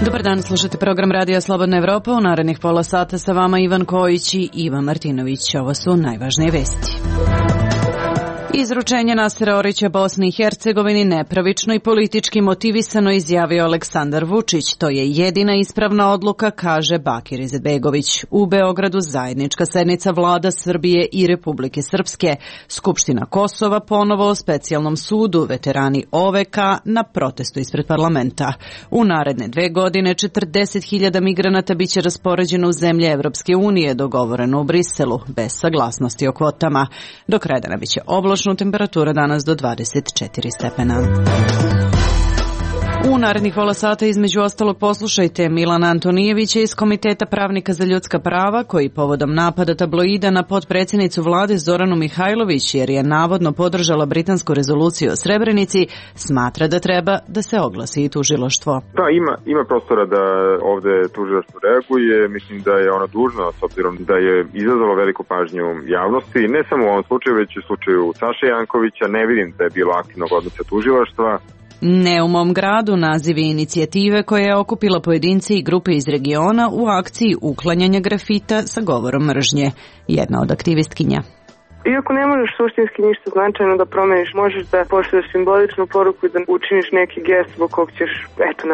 Dobar dan, slušate program Radija Slobodna Evropa. U narednih pola sata sa vama Ivan Kojić i Ivan Martinović. Ovo su najvažnije vesti. Izručenje Nasera Orića Bosni i Hercegovini nepravično i politički motivisano, izjavio Aleksandar Vučić. To je jedina ispravna odluka, kaže Bakir Izetbegović. U Beogradu zajednička sednica vlada Srbije i Republike Srpske. Skupština Kosova ponovo o specijalnom sudu, veterani OVK na protestu ispred parlamenta. U naredne 2 godine 40.000 migranata biće raspoređeno u zemlje Evropske unije, dogovoreno u Briselu, bez saglasnosti o kvotama. Do kraja dana biće oblačno, temperatura danas do 24 stepena. U narednih pola sata između ostalog poslušajte Milana Antonijevića iz Komiteta pravnika za ljudska prava, koji povodom napada tabloida na potpredsjednicu vlade Zoranu Mihajlović, jer je navodno podržala britansku rezoluciju o Srebrenici, smatra da treba da se oglasi i tužilaštvo. Da, ima prostora da ovde tužilaštvo reaguje. Mislim da je ono dužno, s obzirom da je izazvalo veliku pažnju javnosti, ne samo u ovom slučaju, već u slučaju Saše Jankovića. Ne vidim da je bilo aktivnog odnosa tužilaštva. Ne u mom gradu, naziv inicijative koja je okupila pojedinci i grupe iz regiona u akciji uklanjanja grafita sa govorom mržnje. Jedna od aktivistkinja. Iako ne možeš suštinski ništa značajno da promeniš, možeš da pošalješ simboličnu poruku i da učiniš neki gest zbog kog ćeš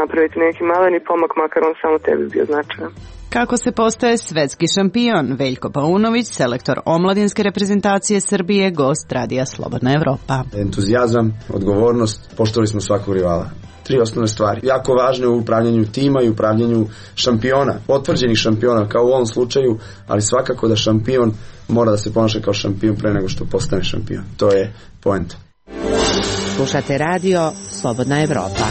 napraviti neki maleni pomak, makar on samo tebi bio značajan. Kako se postaje svetski šampion? Veljko Paunović, selektor omladinske reprezentacije Srbije, gost Radija Slobodna Evropa. Entuzijazam, odgovornost, poštovali smo svakog rivala. 3 osnovne stvari. Jako važne u upravljanju tima i upravljanju šampiona, potvrđenih šampiona kao u ovom slučaju, ali svakako da šampion mora da se ponaša kao šampion pre nego što postane šampion. To je poenta. Slušate Radio Slobodna Evropa.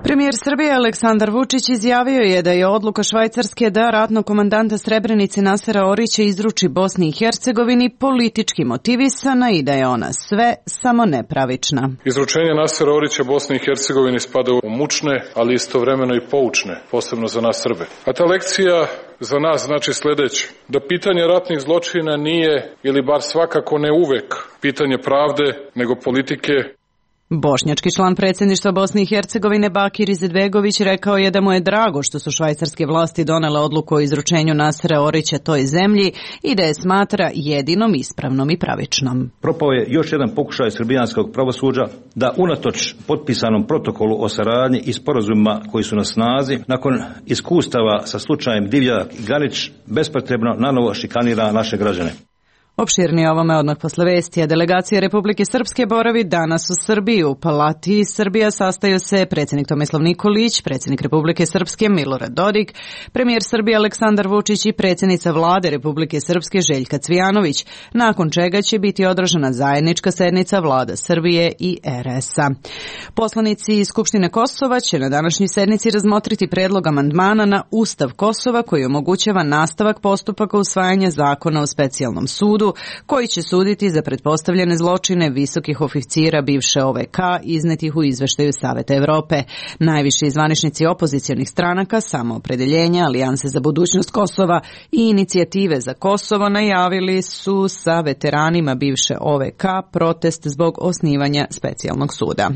Premijer Srbije Aleksandar Vučić izjavio je da je odluka Švajcarske da ratnog komandanta Srebrenice Nasera Orića izruči Bosni i Hercegovini politički motivisana i da je ona sve samo nepravična. Izručenje Nasera Orića Bosni i Hercegovini spada u mučne, ali istovremeno i poučne, posebno za nas Srbe. A ta lekcija za nas znači sljedeće, da pitanje ratnih zločina nije, ili bar svakako ne uvek, pitanje pravde, nego politike. Bošnjački član predsjedništva Bosne i Hercegovine Bakir Izetbegović rekao je da mu je drago što su švajcarske vlasti donele odluku o izručenju Nasera Orića toj zemlji i da je smatra jedinom ispravnom i pravičnom. Propao je još jedan pokušaj srbijanskog pravosuđa da unatoč potpisanom protokolu o saradnji i sporazumima koji su na snazi, nakon iskustava sa slučajem Divjak i Ganić, bespotrebno nanovo šikanira naše građane. Opširnije ovome odmah posle vesti. Delegacija Republike Srpske boravi danas u Srbiji. U Palati Srbija sastaju se predsjednik Tomislav Nikolić, predsjednik Republike Srpske Milorad Dodik, premijer Srbije Aleksandar Vučić i predsjednica vlade Republike Srpske Željka Cvijanović, nakon čega će biti održana zajednička sednica vlada Srbije i RS-a. Poslanici Skupštine Kosova će na današnjoj sednici razmotriti predlog amandmana na Ustav Kosova koji omogućava nastavak postupaka usvajanja zakona o specijalnom sudu, koji će suditi za pretpostavljene zločine visokih oficira bivše OVK iznetih u izveštaju Saveta Evrope. Najviši zvaničnici opozicionih stranaka, Samoopredeljenja, Alijanse za budućnost Kosova i Inicijative za Kosovo najavili su sa veteranima bivše OVK protest zbog osnivanja specijalnog suda.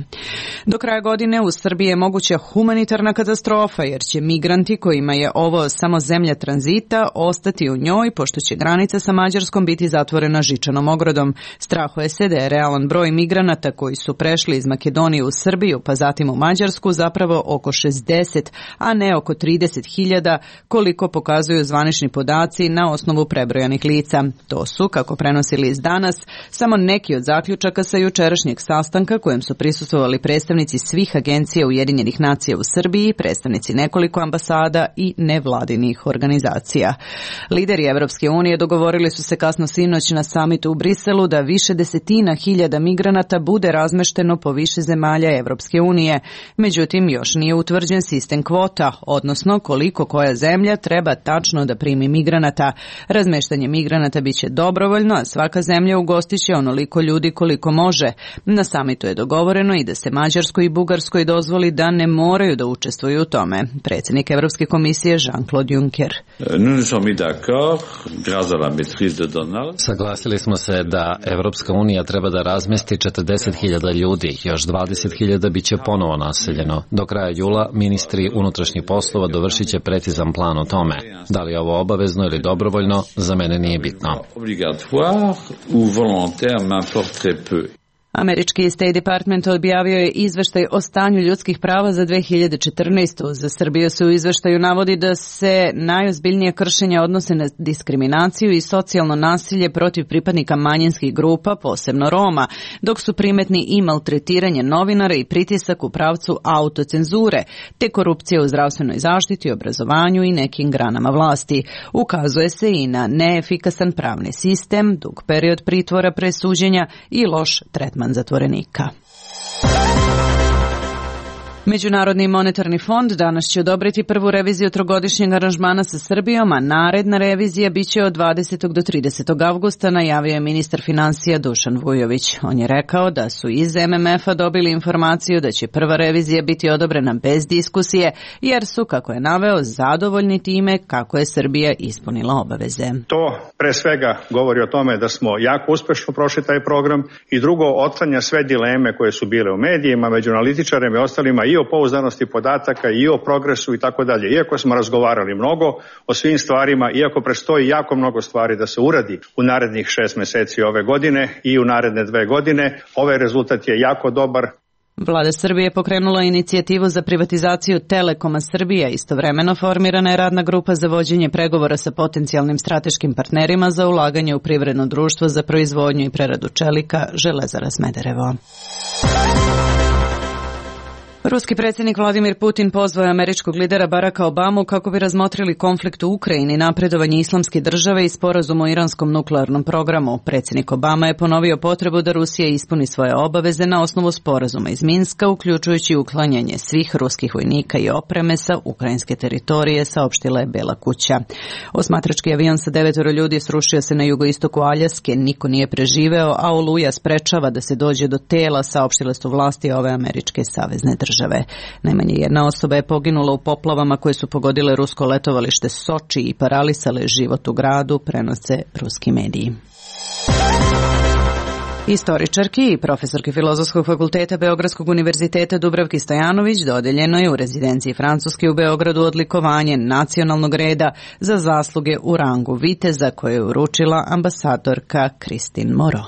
Do kraja godine u Srbiji je moguća humanitarna katastrofa jer će migranti kojima je ovo samo zemlja tranzita ostati u njoj pošto će granica sa Mađarskom biti zatvorena žičanom ogradom. Strahuje se da je realan broj migranata koji su prešli iz Makedonije u Srbiju pa zatim u Mađarsku zapravo oko 60, a ne oko 30.000 koliko pokazuju zvanični podaci na osnovu prebrojanih lica. To su, kako prenosi list Danas, samo neki od zaključaka sa jučerašnjeg sastanka kojem su prisustvovali predstavnici svih agencija Ujedinjenih nacija u Srbiji, predstavnici nekoliko ambasada i nevladinih organizacija. Lideri Evropske unije dogovorili su se kasno sinoć sinoć na samitu u Briselu da više desetina hiljada migranata bude razmešteno po više zemalja Evropske unije. Međutim, još nije utvrđen sistem kvota, odnosno koliko koja zemlja treba tačno da primi migranata. Razmeštanje migranata biće dobrovoljno, a svaka zemlja ugostiće onoliko ljudi koliko može. Na samitu je dogovoreno i da se Mađarskoj i Bugarskoj dozvoli da ne moraju da učestvuju u tome. Predsjednik Evropske komisije Jean-Claude Juncker. Saglasili smo se da Evropska unija treba da razmesti 40.000 ljudi, još 20.000 biće ponovo naseljeno. Do kraja jula ministri unutrašnjih poslova dovršit će precizan plan o tome. Da li je ovo obavezno ili dobrovoljno, za mene nije bitno. Američki State Department objavio je izveštaj o stanju ljudskih prava za 2014. Za Srbiju se u izveštaju navodi da se najozbiljnije kršenja odnose na diskriminaciju i socijalno nasilje protiv pripadnika manjinskih grupa, posebno Roma, dok su primetni i maltretiranje novinara i pritisak u pravcu autocenzure, te korupcija u zdravstvenoj zaštiti, obrazovanju i nekim granama vlasti. Ukazuje se i na neefikasan pravni sistem, dug period pritvora pre suđenja i loš tretman zatvorenika. Međunarodni monetarni fond danas će odobriti prvu reviziju trogodišnjeg aranžmana sa Srbijom, a naredna revizija biće od 20. do 30. avgusta, najavio je ministar finansija Dušan Vujović. On je rekao da su iz MMF-a dobili informaciju da će prva revizija biti odobrena bez diskusije, jer su, kako je naveo, zadovoljni time kako je Srbija ispunila obaveze. To pre svega govori o tome da smo jako uspešno prošli taj program i drugo, otklanja sve dileme koje su bile u medijima, među analitičarima i ostalima, i o pouzdanosti podataka, i o progresu i tako dalje. Iako smo razgovarali mnogo o svim stvarima, iako predstoji jako mnogo stvari da se uradi u narednih 6 meseci ove godine i u naredne 2 godine, ovaj rezultat je jako dobar. Vlada Srbije pokrenula inicijativu za privatizaciju Telekoma Srbija. Istovremeno formirana je radna grupa za vođenje pregovora sa potencijalnim strateškim partnerima za ulaganje u privredno društvo za proizvodnju i preradu čelika Železara Smederevo. Ruski predsjednik Vladimir Putin pozvao je američkog lidera Baracka Obamu kako bi razmotrili konflikt u Ukrajini, napredovanje islamske države i sporazum o iranskom nuklearnom programu. Predsjednik Obama je ponovio potrebu da Rusija ispuni svoje obaveze na osnovu sporazuma iz Minska, uključujući uklanjanje svih ruskih vojnika i opreme sa ukrajinske teritorije, saopštila je Bela kuća. Osmatrački avion sa 9 ljudi srušio se na jugoistoku Aljaske, niko nije preživeo, a oluja sprečava da se dođe do tela, saopštile su vlasti ove američke savezne države. Najmanje jedna osoba je poginula u poplavama koje su pogodile rusko letovalište Soči i paralisale život u gradu, prenose ruski mediji. Istoričarki i profesorki Filozofskog fakulteta Beogradskog univerziteta Dubravki Stojanović dodeljeno je u rezidenciji Francuske u Beogradu odlikovanje nacionalnog reda za zasluge u rangu viteza koje je uručila ambasadorka Christine Moreau.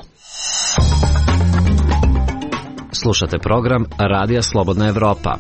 Slušate program Radija Slobodna Evropa.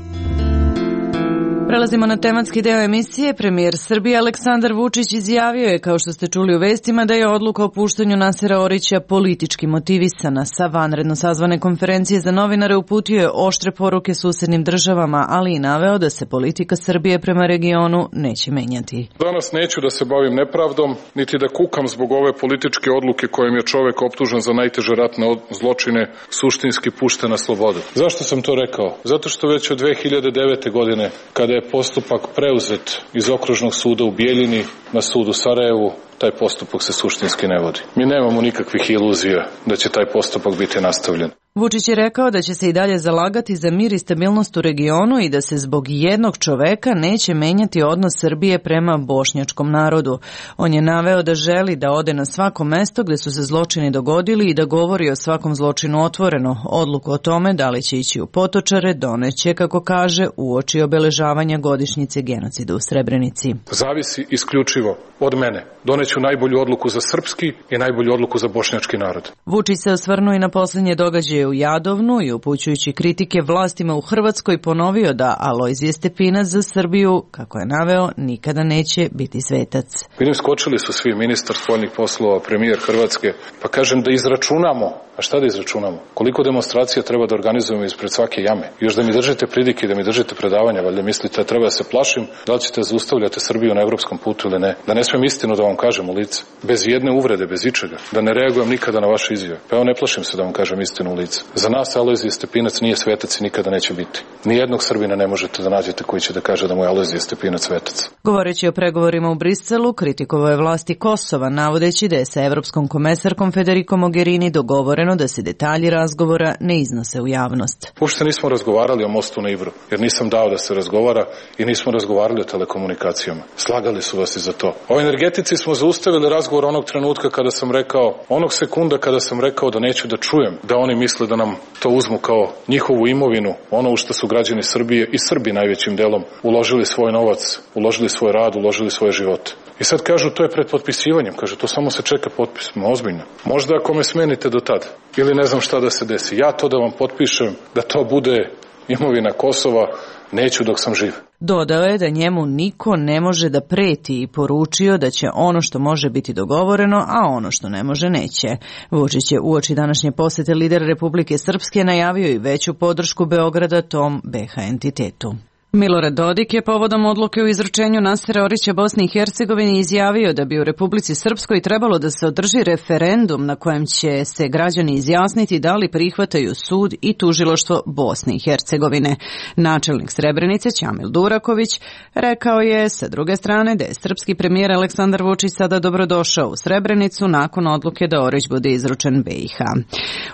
Prelazimo na tematski deo emisije. Premijer Srbije Aleksandar Vučić izjavio je, kao što ste čuli u vestima, da je odluka o puštanju Nasera Orića politički motivisana. Sa vanredno sazvane konferencije za novinare uputio je oštre poruke susednim državama, ali i naveo da se politika Srbije prema regionu neće menjati. Danas neću da se bavim nepravdom, niti da kukam zbog ove političke odluke kojim je čovek optužen za najteže ratne zločine suštinski pušten na slobodu. Zašto sam to rekao? Zato što već od 2009. godine, kada je postupak preuzet iz okružnog suda u Bijeljini na sud u Sarajevu, taj postupak se suštinski ne vodi. Mi nemamo nikakvih iluzija da će taj postupak biti nastavljen. Vučić je rekao da će se i dalje zalagati za mir i stabilnost u regionu i da se zbog jednog čoveka neće menjati odnos Srbije prema bošnjačkom narodu. On je naveo da želi da ode na svako mesto gde su se zločini dogodili i da govori o svakom zločinu otvoreno. Odluku o tome da li će ići u Potočare doneće, kako kaže, uoči obeležavanja godišnjice genocida u Srebrenici. Zavisi isključivo od mene. Doneću najbolju odluku za srpski i najbolju odluku za bošnjački narod. Vučić se osvrnuo i na poslednje događaje u Jadovnu i upućujući kritike vlastima u Hrvatskoj ponovio da Alojzije Stepinac za Srbiju, kako je naveo, nikada neće biti svetac. Vidim, skočili su svi, ministar spoljnih poslova, premijer Hrvatske, pa kažem da izračunamo A šta da izračunamo? Koliko demonstracija treba da organizujemo ispred svake jame? Još da mi držite pridike, da mi držite predavanja, valjda mislite da treba da se plašim da li ćete zaustavljati Srbiju na evropskom putu ili ne. Da ne smijem istinu da vam kažem u lice. Bez jedne uvrede, bez ičega. Da ne reagujem nikada na vaše izjave. Pa evo ne plašim se da vam kažem istinu u lice. Za nas Alojzije Stepinac nije svetac i nikada neće biti. Nijednog Srbina ne možete da nađete koji će da kaže da mu je Alojzije Stepinac svetac. Govoreći o pregovorima u Briselu, kritikovao je vlasti Kosova, navodeći da je sa evropskom komesarkom Federico Mogherini dogovoreno da se detalji razgovora ne iznose u javnost. Uopšte nismo razgovarali o mostu na Ibru, jer nisam dao da se razgovara i nismo razgovarali o telekomunikacijama. Slagali su vas i za to. O energetici smo zaustavili razgovor onog trenutka kada sam rekao, onog sekunda kada sam rekao da neću da čujem da oni misle da nam to uzmu kao njihovu imovinu, ono u što su građani Srbije i Srbi najvećim delom uložili svoj novac, uložili svoj rad, uložili svoje živote. I sad kažu to je pred potpisivanjem, kaže to samo se čeka potpis, ozbiljno. Možda ako me smenite do tada ili ne znam šta da se desi, ja to da vam potpišem da to bude imovina Kosova, neću dok sam živ. Dodao je da njemu niko ne može da preti i poručio da će ono što može biti dogovoreno, a ono što ne može neće. Vučić je uoči današnje posete lidera Republike Srpske najavio i veću podršku Beograda tom BiH entitetu. Milorad Dodik je povodom odluke o izručenju Nasera Orića Bosni i Hercegovini izjavio da bi u Republici Srpskoj trebalo da se održi referendum na kojem će se građani izjasniti da li prihvataju sud i tužilaštvo Bosne i Hercegovine. Načelnik Srebrenice Ćamil Duraković rekao je sa druge strane da je srpski premijer Aleksandar Vučić sada dobrodošao u Srebrenicu nakon odluke da Orić bude izručen BiH.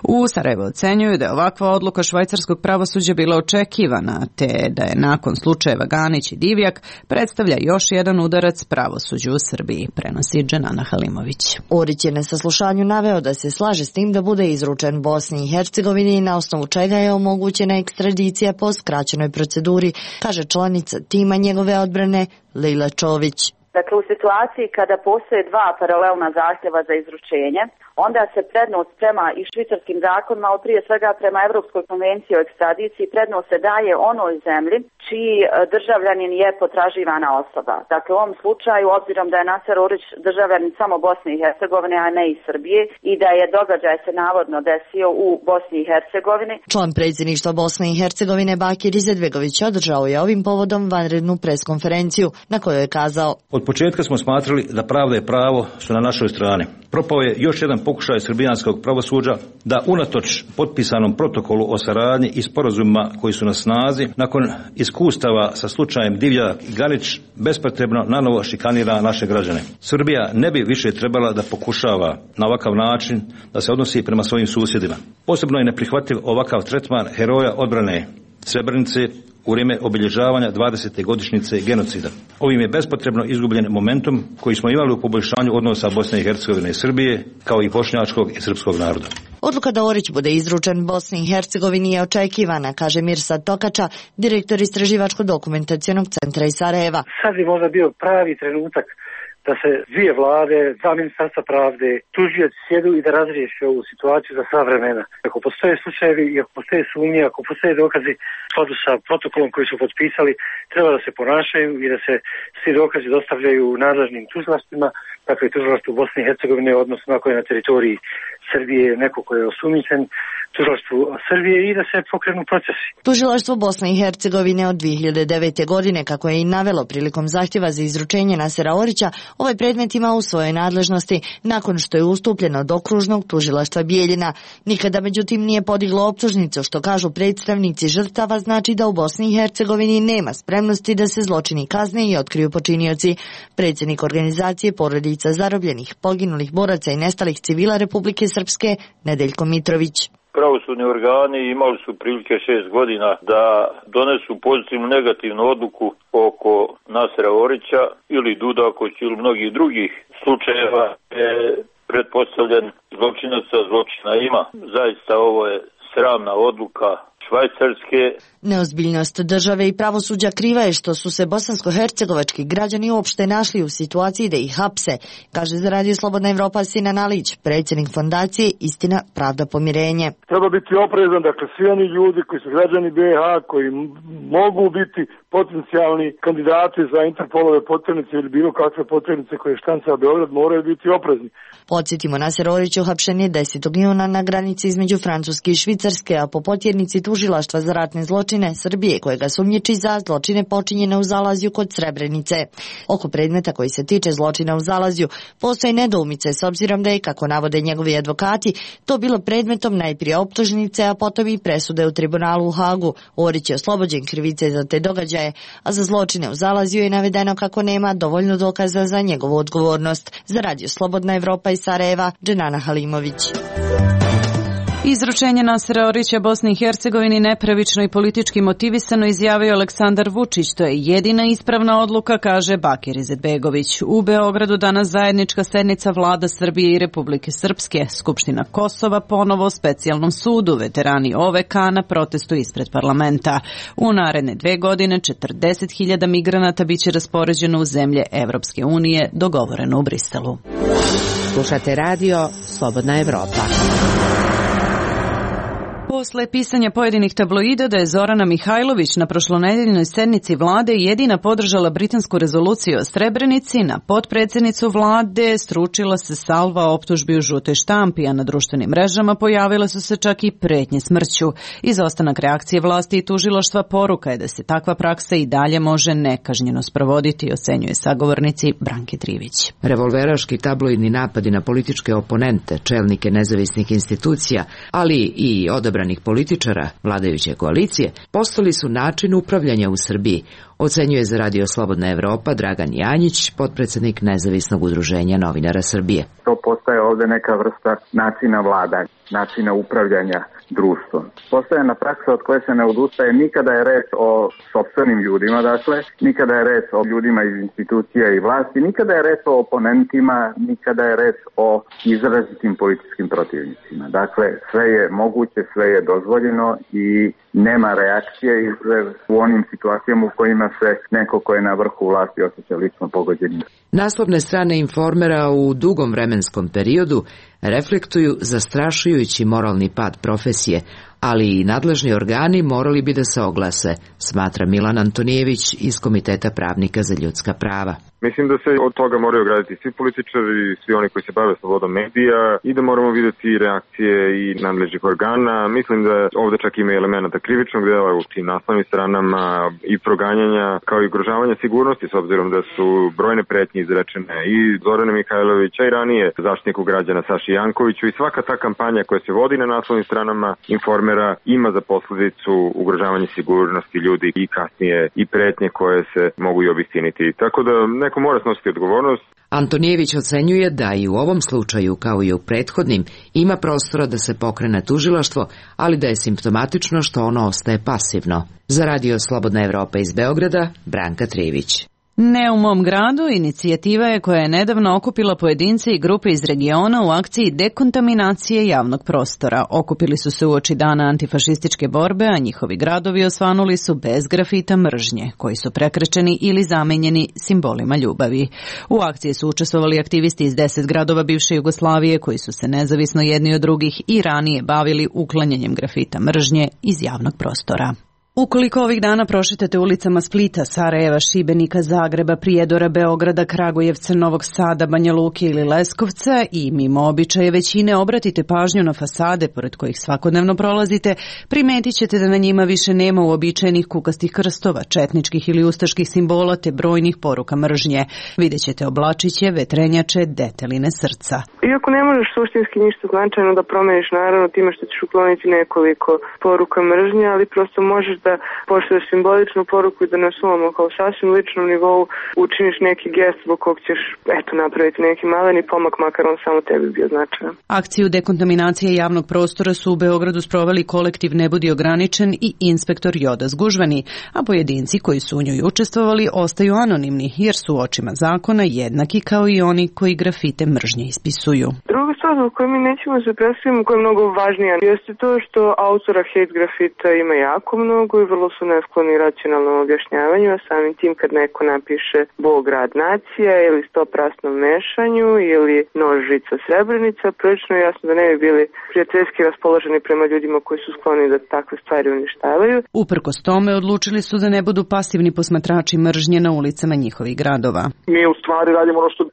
U Sarajevo ocenjuju da je ovakva odluka švajcarskog pravosuđa bila očekivana, te da je nakon slučajeva Ganić i Divjak predstavlja još jedan udarac pravosuđu u Srbiji, prenosi Dženana Halimović. Orić je na saslušanju naveo da se slaže s tim da bude izručen Bosni i Hercegovini, na osnovu čega je omogućena ekstradicija po skraćenoj proceduri, kaže članica tima njegove odbrane Lejla Čović. Dakle, u situaciji kada postoje dva paralelna zahtjeva za izručenje, onda se prednost prema i švicarskim zakonima, ali prije svega prema Evropskoj konvenciji o ekstradiciji, prednost se daje onoj zemlji čiji državljanin je potraživana osoba. Dakle, u ovom slučaju, obzirom da je Naser Orić državljanin samo Bosne i Hercegovine, a ne i Srbije, i da je događaj se navodno desio u Bosni i Hercegovini. Član predsjedništva Bosne i Hercegovine Bakir Izetbegović održao je ovim povodom vanrednu preskonferenciju na kojoj je kazao: Od početka smo smatrali da pravda i pravo su na našoj strani. Propao je još jedan pokušaj srbijanskog pravosuđa da unatoč potpisanom protokolu o saradnji i sporazumima koji su na snazi, nakon iskustava sa slučajem Divjak i Ganić, bespotrebno nanovo šikanira naše građane. Srbija ne bi više trebala da pokušava na ovakav način da se odnosi prema svojim susjedima. Posebno je neprihvatljiv ovakav tretman heroja odbrane Srebrenice u vrijeme obilježavanja 20. godišnjice genocida. Ovim je bespotrebno izgubljen momentum koji smo imali u poboljšanju odnosa Bosne i Hercegovine i Srbije, kao i bošnjačkog i srpskog naroda. Odluka da Orić bude izručen Bosni i Hercegovini je očekivana, kaže Mirsad Tokača, direktor Istraživačko-dokumentacionog centra iz Sarajeva. Sad bi možda bio pravi trenutak da se dvije vlade, dva ministarstva pravde, tužioci sjedu i da razriješe ovu situaciju za sva vremena. Ako postoje slučajevi i ako postoje sumnje, ako postoje dokazi u skladu sa protokolom koji su potpisali, treba da se ponašaju i da se svi dokazi dostavljaju nadležnim tužilaštvima, dakle tužilaštvu Bosne i Hercegovine, odnosno ako je na teritoriji Srbije neko ko je osumnjičen, tužilaštvu Srbije, i da se pokrenu procesi. Tužilaštvo Bosne i Hercegovine od 2009. godine, kako je i navelo prilikom zahtjeva za izručenje Nasera Orića, ovaj predmet ima u svojoj nadležnosti nakon što je ustupljeno od okružnog tužilaštva Bijeljina. Nikada međutim nije podiglo optužnicu, što kažu predstavnici žrtava znači da u Bosni i Hercegovini nema spremnosti da se zločini kazne i otkriju počinioci. Predsjednik organizacije porodica zarobljenih, poginulih boraca i nestalih civila Republike Srpske, Nedeljko Mitrović. Pravosudni organi imali su prilike 6 godina da donesu pozitivnu negativnu odluku oko Nasera Orića ili Dudakovića ili mnogih drugih slučajeva je pretpostavljen zločinaca, zločina ima. Zaista ovo je sramna odluka Švajcarske. Neozbiljnost države i pravosuđa kriva je što su se bosansko-hercegovački građani uopšte našli u situaciji da ih hapse, kaže za Radio Slobodna Evropa Sinan Alić, predsjednik fondacije Istina, pravda, pomirenje. Treba biti oprezan, dakle svi oni ljudi koji su građani BiH, koji mogu biti potencijalni kandidati za Interpolove poternice ili bilo kakve poternice koje štanca Beograd, moraju biti oprezni. Podsjetimo, Naser Orić uhapšen je 10. juna na granici između Francuske i Švicarske, a po potjernici tužilaštva za ratne zločine Srbije, kojega sumnjiči za zločine počinjene u Zalazju kod Srebrenice. Oko predmeta koji se tiče zločina u Zalazju postoje nedoumice s obzirom da je, kako navode njegovi advokati, to bilo predmetom najprije optužnice, a potom i presude u tribunalu u Hagu. Orić je oslobođen krivice za te događaje, a za zločine u Zalazju je navedeno kako nema dovoljno dokaza za njegovu odgovornost. Za Radio Slobodna Evropa iz Sarajeva, Dženana Halimović. Izručenje Nasera Orića Bosni i Hercegovini nepravično i politički motivisano izjavio Aleksandar Vučić. To je jedina ispravna odluka, kaže Bakir Izetbegović. U Beogradu danas zajednička sednica vlada Srbije i Republike Srpske. Skupština Kosova ponovo specijalnom sudu. Veterani OVK na protestu ispred parlamenta. U naredne 2 godine 40.000 migranata biće raspoređeno u zemlje Evropske unije, dogovoreno u Briselu. Slušate Radio Slobodna Evropa. Posle pisanja pojedinih tabloida da je Zorana Mihajlović na prošlonedeljnoj sednici vlade jedina podržala britansku rezoluciju o Srebrenici, na potpredsjednicu vlade stručila se salva optužbi u žutoj štampi, a na društvenim mrežama pojavile su se čak i pretnje smrću. Izostanak reakcije vlasti i tužilaštva poruka je da se takva praksa i dalje može nekažnjeno sprovoditi, ocenjuje sagovornici Branke Trivić. Revolveraški tabloidni napadi na političke oponente, čelnike nezavisnih institucija, ali i odabranih političara vladajuće koalicije, postali su način upravljanja u Srbiji, ocenjuje za Radio Slobodna Evropa Dragan Janjić, potpredsjednik Nezavisnog udruženja novinara Srbije. To postaje ovde neka vrsta načina vladanja, načina upravljanja društvom. Postojana praksa od koje se ne odustaje, nikada je reč o sopstvenim ljudima, dakle, nikada je reč o ljudima iz institucija i vlasti, nikada je reč o oponentima, nikada je reč o izrazitim političkim protivnicima. Dakle, sve je moguće, sve je dozvoljeno i nema reakcije u onim situacijama u kojima se neko ko je na vrhu vlasti osjeća lično pogođenim. Naslovne strane Informera u dugom vremenskom periodu reflektuju zastrašujući moralni pad profesije, ali i nadležni organi morali bi da se oglase, smatra Milan Antonijević iz Komiteta pravnika za ljudska prava. Mislim da se od toga moraju ograditi svi političari, svi oni koji se bave slobodom medija i da moramo vidjeti reakcije i nadležnih organa. Mislim da ovde čak ima elemenata krivičnog dela u tim naslovnim stranama i proganjanja kao i ugrožavanja sigurnosti, s obzirom da su brojne pretnje izrečene i Zorane Mihajlovića i ranije Zaštitniku građana Saši Jankoviću, i svaka ta kampanja koja se vodi na naslovnim stranama Informera ima za posledicu ugrožavanje sigurnosti ljudi i kasnije i pretnje koje se mogu i obistiniti. Tako da neko mora snositi odgovornost. Antonijević ocenjuje da i u ovom slučaju, kao i u prethodnim, ima prostora da se pokrene tužilaštvo, ali da je simptomatično što ono ostaje pasivno. Za Radio Slobodna Evropa iz Beograda, Branka Trivić. Ne u mom gradu inicijativa je koja je nedavno okupila pojedince i grupe iz regiona u akciji dekontaminacije javnog prostora. Okupili su se uoči dana antifašističke borbe, a njihovi gradovi osvanuli su bez grafita mržnje, koji su prekrečeni ili zamenjeni simbolima ljubavi. U akciji su učestvovali aktivisti iz 10 gradova bivše Jugoslavije, koji su se nezavisno jedni od drugih i ranije bavili uklanjanjem grafita mržnje iz javnog prostora. Ukoliko ovih dana prošetate ulicama Splita, Sarajeva, Šibenika, Zagreba, Prijedora, Beograda, Kragujevca, Novog Sada, Banja Luke ili Leskovca i mimo običaje većine obratite pažnju na fasade pored kojih svakodnevno prolazite, primetit ćete da na njima više nema uobičajenih kukastih krstova, četničkih ili ustaških simbola te brojnih poruka mržnje. Vidjet ćete oblačiće, vetrenjače, deteline srca. Iako ne možeš suštinski ništa značajno da promeniš, naravno time što ćeš ukloniti nekoliko poruka mržnje, ali prosto možeš da pošalješ simboličnu poruku i da na svom kao sasvim ličnom nivou učiniš neki gest zbog kog ćeš napraviti neki maleni pomak, makar on samo tebi bio značajan. Akciju dekontaminacije javnog prostora su u Beogradu sproveli kolektiv Ne budi ograničen i inspektor Joda Zgužvani, a pojedinci koji su u njoj učestvovali ostaju anonimni jer su u očima zakona jednaki kao i oni koji grafite mržnje ispisuju. Druga Druga stvar o kojoj mi nećemo se predstaviti, koja je mnogo važnija, jeste to što autora hate grafita ima jako mnogo i vrlo su neskloni racionalnom objašnjavanju, a samim tim kad neko napiše Bog, rad, nacija ili stoprasnom mešanju ili nož, žica, srebrenica, prilično je jasno da ne bi bili prijateljski raspoloženi prema ljudima koji su skloni da takve stvari uništavaju. Uprkos tome odlučili su da ne budu pasivni posmatrači mržnje na ulicama njihovih gradova. Mi u stvari radimo ono što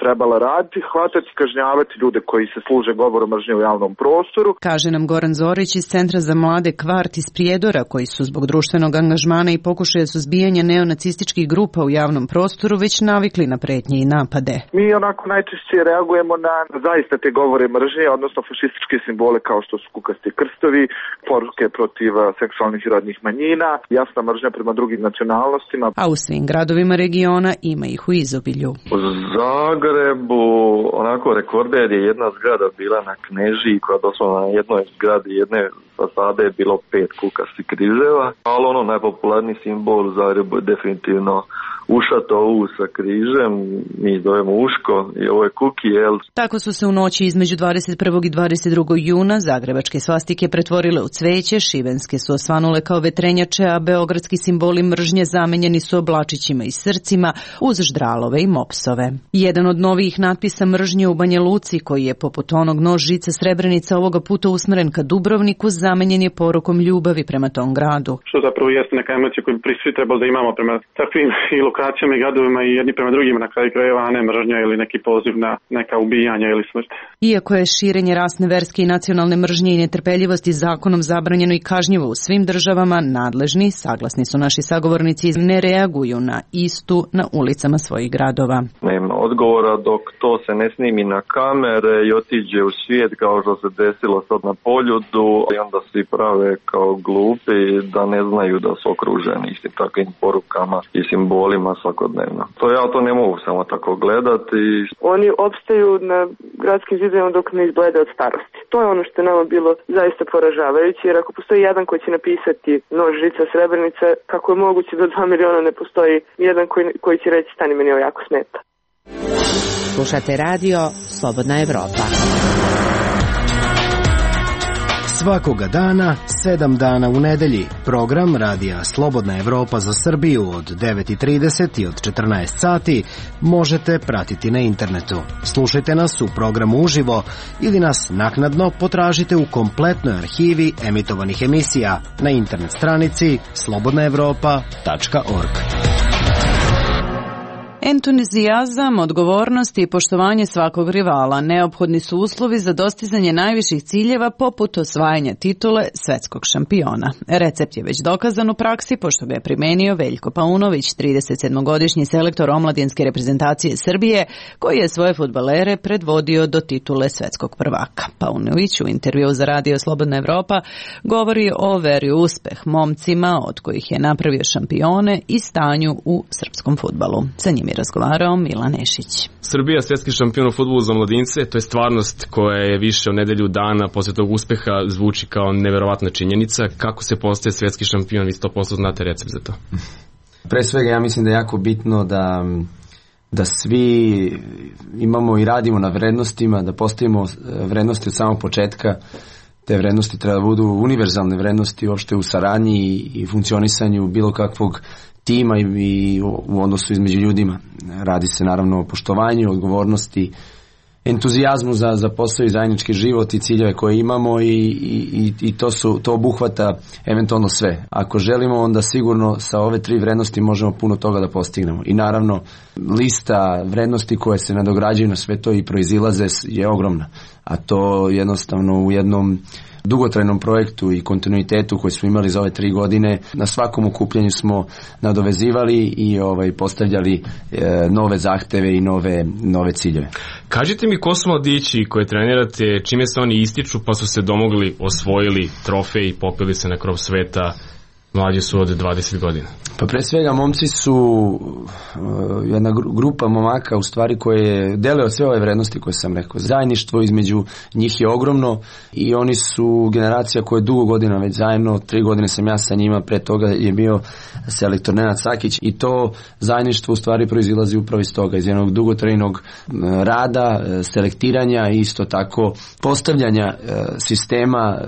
trebala raditi, hvatati, kažnjavati ljude koji se služe govorom mržnje u javnom prostoru. Kaže nam Goran Zorić iz Centra za mlade Kvart iz Prijedora, koji su zbog društvenog angažmana i pokušaja suzbijanja neonacističkih grupa u javnom prostoru već navikli na pretnje i napade. Mi onako najčešće reagujemo na zaista te govore mržnje, odnosno fašističke simbole kao što su kukasti krstovi, poruke protiv seksualnih i rodnih manjina, jasna mržnja prema drugim nacionalnostima. A u svim gradovima regiona ima ih u izobilju. Zagrebu, onako rekorder je jedna zgrada bila na Knežiji koja doslovno na jednoj zgradi jedne fasade je bilo 5 kukastih križeva, ali ono najpopularniji simbol u Zagrebu je definitivno ušato U sa križem, mi zovemo uško i ovo je kuki, jel? Tako su se u noći između 21. i 22. juna zagrebačke svastike pretvorile u cveće, šibenske su osvanule kao vetrenjače, a beogradski simboli mržnje zamenjeni su oblačićima i srcima uz ždralove i mopsove. Jedan od novijih natpisa mržnje u Banja Luci, koji je poput onog nož, žica, srebrenica ovoga puta usmeren ka Dubrovniku, zamenjen je porukom ljubavi prema tom gradu. Što zapravo jeste neka emocija koju bi svi trebali da imamo prema takvim i lokacijama i gradovima i jedni prema drugima na kraju krajeva, a ne mržnja ili neki poziv na neka ubijanja ili smrt. Iako je širenje rasne, verske i nacionalne mržnje i netrpeljivosti zakonom zabranjeno i kažnjivo u svim državama, nadležni, saglasni su naši sagovornici, ne reaguju na istu na ulicama svojih gradova. Nema odgovora dok to se ne snimi na kamere i otiđe u svijet kao što se desilo sad na Poljudu i onda svi prave kao glupi da ne znaju da su okruženi istim takvim porukama i simbolima svakodnevno. Ja to ne mogu samo tako gledati. Oni opstaju na gradskim zidovima dok ne izblede od starosti. To je ono što je nama bilo zaista poražavajuće, jer ako postoji jedan koji će napisati nož, žica, srebrenica, kako je moguće da 2 miliona ne postoji jedan koji će reći stani meni ovo jako smeta. Slušate radio Slobodna Evropa. Svakoga dana, 7 dana u nedelji, program radija Slobodna Evropa za Srbiju od 9:30 i od 14 sati možete pratiti na internetu. Slušajte nas u programu uživo ili nas naknadno potražite u kompletnoj arhivi emitovanih emisija na internet stranici slobodnaevropa.org. Entuzijazam, odgovornost i poštovanje svakog rivala neophodni su uslovi za dostizanje najviših ciljeva poput osvajanja titule svetskog šampiona. Recept je već dokazan u praksi pošto ga je primenio Veljko Paunović, 37-godišnji selektor omladinske reprezentacije Srbije, koji je svoje fudbalere predvodio do titule svetskog prvaka. Paunović u intervjuu za radio Slobodna Evropa govori o veri u uspeh momcima od kojih je napravio šampione i stanju u srpskom fudbalu. Sa njim je razgovarao Milan Nešić. Srbija, svjetski šampion u fudbalu za mladince, to je stvarnost koja je više od nedelju dana posle tog uspeha, zvuči kao neverovatna činjenica. Kako se postaje svjetski šampion? Vi 100% znate recept za to. Pre svega ja mislim da je jako bitno da svi imamo i radimo na vrednostima, da postavimo vrednosti od samog početka. Te vrednosti treba da budu univerzalne vrednosti uopšte u saradnji i funkcionisanju bilo kakvog tima i u odnosu između ljudima. Radi se naravno o poštovanju, odgovornosti, entuzijazmu za posao i zajednički život i ciljeve koje imamo i to obuhvata eventualno sve. Ako želimo, onda sigurno sa ove 3 vrednosti možemo puno toga da postignemo. I naravno, lista vrednosti koje se nadograđuju na sve to i proizilaze je ogromna. A to jednostavno u jednom dugotrajnom projektu i kontinuitetu koji smo imali za ove 3 godine, na svakom okupljanju smo nadovezivali i postavljali nove zahteve i nove ciljeve. Kažite mi ko su mladići koje trenirate, čime se oni ističu pa su se domogli, osvojili trofej i popeli se na krov sveta? mlađi su od 20 godina? Pa pre svega momci su jedna grupa momaka u stvari koje dele od sve ove vrednosti koje sam rekao. Zajedništvo između njih je ogromno i oni su generacija koja je dugo godina već zajedno, 3 godine sam ja sa njima, pre toga je bio selektor Nenad Sakić i to zajedništvo u stvari proizilazi upravo iz toga, iz jednog dugotrajnog rada, selektiranja i isto tako postavljanja sistema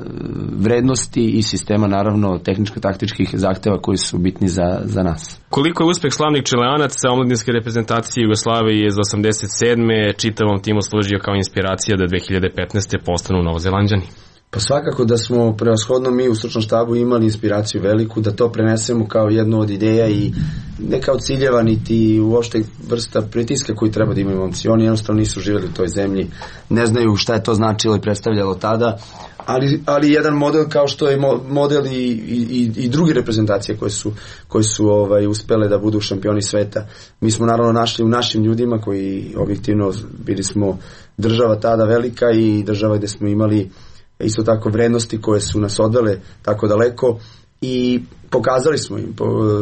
vrednosti i sistema naravno tehničko-taktičkih zahteva koji su bitni za nas. Koliko je uspeh slavnih Čileanaca omladinske reprezentacije Jugoslavije iz 87. čitavom timu služio kao inspiracija da 2015. postanu Novozelanđani? Pa svakako da smo prevashodno mi u stručnom štabu imali inspiraciju veliku da to prenesemo kao jednu od ideja i ne kao ciljeva niti uopšte vrsta pritiska koji treba da imaju momci. Oni jednostavno nisu živjeli u toj zemlji, ne znaju šta je to značilo i predstavljalo tada, ali jedan model kao što je model i druge reprezentacije koje su uspele da budu šampioni sveta. Mi smo naravno našli u našim ljudima koji objektivno bili smo država tada velika i država gde smo imali isto tako vrednosti koje su nas odvele tako daleko i pokazali smo im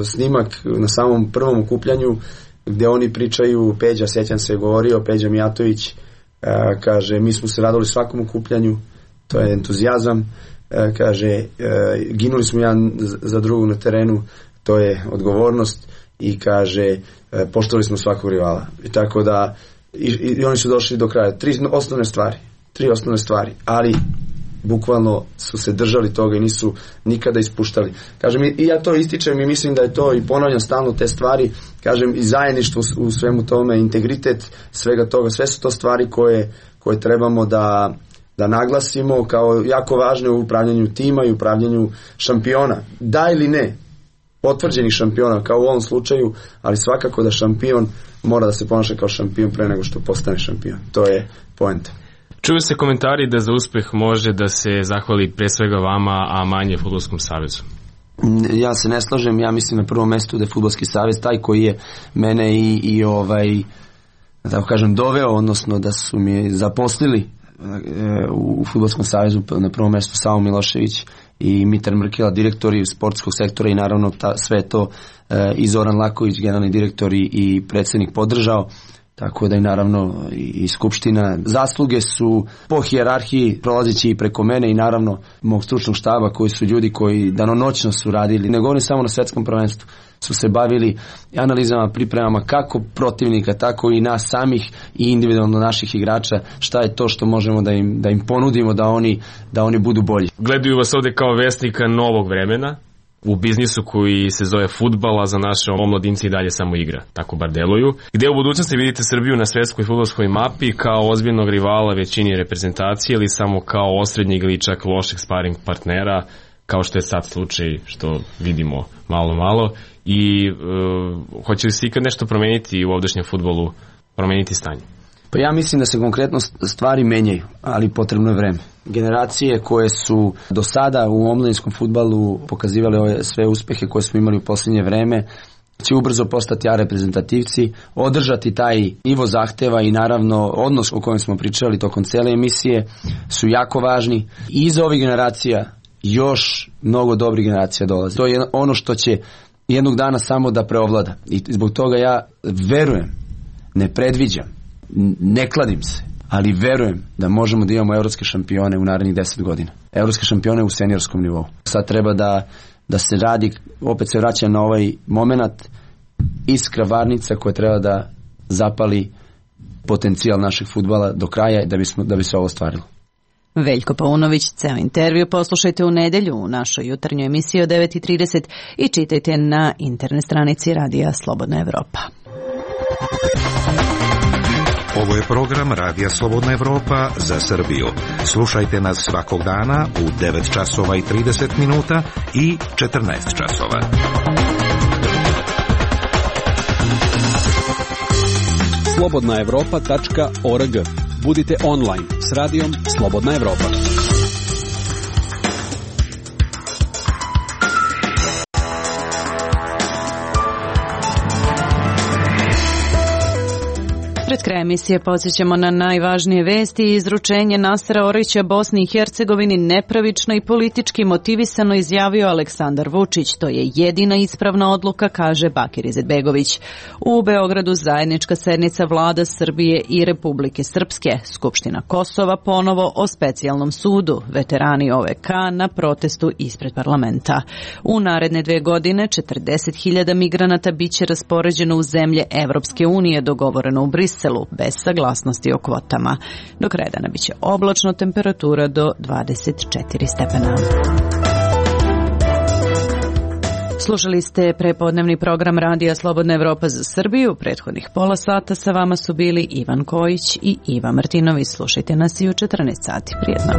snimak na samom prvom okupljanju gde oni pričaju, Peđa, sećam se, govorio Peđa Mijatović, kaže mi smo se radili svakom okupljanju, to je entuzijazam, kaže ginuli smo jedan za drugog na terenu, to je odgovornost i kaže poštovali smo svakog rivala i tako da i oni su došli do kraja. Tri osnovne stvari, ali bukvalno su se držali toga i nisu nikada ispuštali. Kažem, i ja to ističem i mislim da je to i ponavljam stalno te stvari, kažem i zajedništvo u svemu tome, integritet svega toga, sve su to stvari koje trebamo da naglasimo kao jako važne u upravljanju tima i upravljanju šampiona. Da ili ne, potvrđenih šampiona kao u ovom slučaju, ali svakako da šampion mora da se ponaša kao šampion pre nego što postane šampion. To je poenta. Čuju se komentari da za uspeh može da se zahvali pre svega vama, a manje Fudbalskom savezu. Ja se ne slažem, ja mislim na prvom mestu da je Fudbalski savez taj koji je mene da tako kažem doveo, odnosno da su mi zaposlili u Fudbalskom savezu, na prvom mestu Savo Milošević i Mitar Mrkela, direktori sportskog sektora i naravno sve to i Zoran Laković, generalni direktor i predsjednik podržao. Tako da i naravno i Skupština. Zasluge su po hijerarhiji prolazeći i preko mene i naravno mog stručnog štaba koji su ljudi koji danonoćno su radili. Ne govorim samo na svetskom prvenstvu. Su se bavili analizama, pripremama kako protivnika, tako i nas samih i individualno naših igrača. Šta je to što možemo da im ponudimo da oni budu bolji. Gledaju vas ovde kao vesnika novog vremena u biznisu koji se zove fudbal, a za naše omladinci i dalje samo igra, tako bar deluju. Gde u budućnosti vidite Srbiju na svetskoj fudbalskoj mapi kao ozbiljnog rivala većini reprezentacije ili samo kao osrednjeg ili čak lošeg sparing partnera, kao što je sad slučaj što vidimo malo i hoće li se ikad nešto promeniti u ovdašnjem fudbalu, promeniti stanje? Pa ja mislim da se konkretno stvari menjaju, ali potrebno je vreme. Generacije koje su do sada u omladinskom fudbalu pokazivale ove sve uspehe koje smo imali u posljednje vreme, će ubrzo postati reprezentativci, održati taj nivo zahteva i naravno odnos o kojem smo pričali tokom cele emisije su jako važni. I iza ovih generacija još mnogo dobrih generacija dolazi. To je ono što će jednog dana samo da preovlada. I zbog toga ja verujem, ne predviđam, ne kladim se, ali verujem da možemo da imamo evropske šampione u narednih 10 godina. Evropske šampione u seniorskom nivou. Sad treba da se radi, opet se vraća na ovaj moment, iskra varnica koja treba da zapali potencijal našeg fudbala do kraja da bi se ovo ostvarilo. Veljko Paunović, ceo intervju poslušajte u nedelju u našoj jutarnjoj emisiji od 9:30 i čitajte na internet stranici Radija Slobodna Evropa. Ovo je program Radija Slobodna Evropa za Srbiju. Slušajte nas svakog dana u 9 časova i 30 minuta i 14 časova. slobodnaevropa.org. Budite online s radijom Slobodna Evropa. Pred kraj emisije podsjećamo na najvažnije vesti i izručenje Nasera Orića Bosni i Hercegovini nepravično i politički motivisano izjavio Aleksandar Vučić. To je jedina ispravna odluka, kaže Bakir Izetbegović. U Beogradu zajednička sednica vlada Srbije i Republike Srpske. Skupština Kosova ponovo o specijalnom sudu. Veterani OVK na protestu ispred parlamenta. U naredne 2 godine 40.000 migranata biće raspoređeno u zemlje Evropske unije, dogovoreno u Briselu, bez saglasnosti o kvotama. Do kraja dana biće oblačno, temperatura do 24 stepena. Slušali ste prepodnevni program Radija Slobodna Evropa za Srbiju. Prethodnih pola sata sa vama su bili Ivan Kojić i Iva Martinović. Slušajte nas i u 14 sati. Prijetno.